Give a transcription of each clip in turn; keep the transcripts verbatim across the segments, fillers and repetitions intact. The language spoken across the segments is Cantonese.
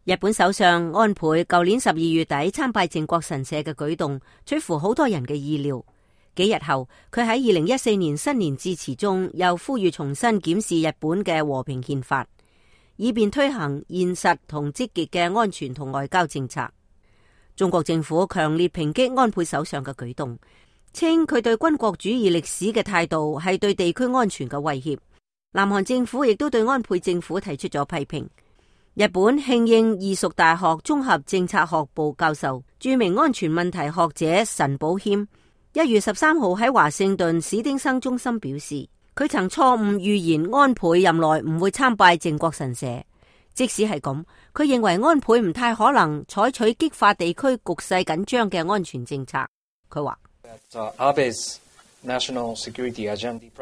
日本首相安倍舊年十二月底參拜靖國神社嘅舉動，出乎好多人嘅意料。幾日後，佢喺二零一四年新年致辭中，又呼籲重新檢視日本嘅和平憲法，以便推行現實同積極嘅安全同外交政策。中國政府強烈抨擊安倍首相嘅舉動，稱佢對軍國主義歷史嘅態度係對地區安全嘅威脅。南韓政府亦都對安倍政府提出咗批評。日本慶應義塾大學綜合政策學部教授、著名安全問題學者神保謙一月十三號喺華盛頓史丁生中心表示，佢曾錯誤預言安倍任內唔會參拜靖國神社。即使係咁，佢認為安倍唔太可能採取激化地區局勢緊張嘅安全政策。佢話，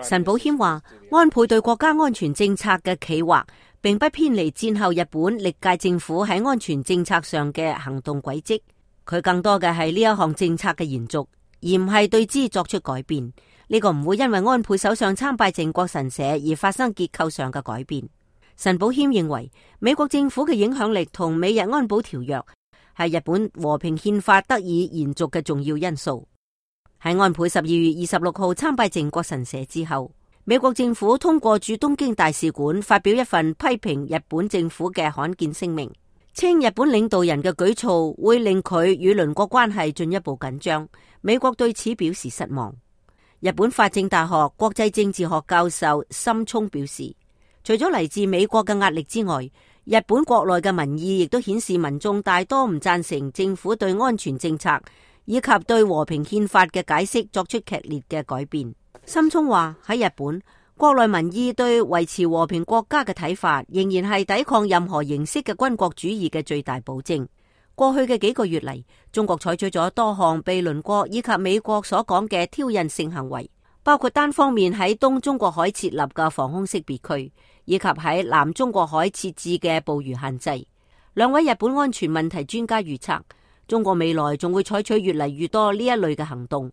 神保謙話，安倍對國家安全政策嘅企劃並不偏離戰後日本歷屆政府喺安全政策上嘅行動軌跡，佢更多嘅係呢一項政策嘅延續，而唔係對之作出改變。呢、這個唔會因為安倍首相參拜靖國神社而發生結構上嘅改變。神保謙認為，美國政府嘅影響力同美日安保條約係日本和平憲法得以延續嘅重要因素。喺安倍十二月二十六號參拜靖國神社之後，美國政府通過駐東京大使館發表一份批評日本政府嘅罕見聲明，稱日本領導人嘅舉措會令佢與鄰國關係進一步緊張。美國對此表示失望。日本法政大學國際政治學教授森聰表示，除咗嚟自美國嘅壓力之外，日本國內嘅民意亦都顯示民眾大多唔贊成政府對安全政策以及對和平憲法嘅解釋作出劇烈嘅改變。森聰話，喺日本國內民意對維持和平國家嘅睇法仍然係抵抗任何形式嘅軍國主義嘅最大保證。過去嘅幾個月嚟，中國採取咗多項被鄰國以及美國所講嘅挑釁性行為，包括單方面喺東中國海設立嘅防空識別區，以及喺南中國海設置嘅捕魚限制。兩位日本安全問題專家預測，中國未來仲會採取越嚟越多呢一類嘅行動。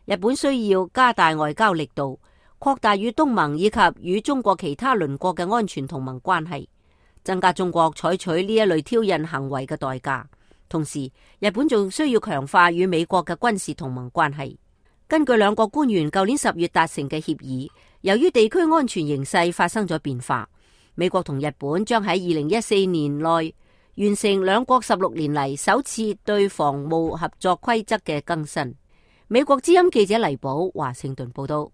日本需要加大外交力度，擴大與東盟以及與中國其他鄰國嘅安全同盟關係，增加中國採取呢一類挑釁行為嘅代價。同時，日本仲需要強化與美國嘅軍事同盟關係。根據兩國官員舊年十月達成嘅協議，由於地區安全形勢發生咗變化，美國同日本將喺二零一四年內完成兩國十六年嚟首次對防務合作規則嘅更新。美國之音記者黎寶華盛頓報道。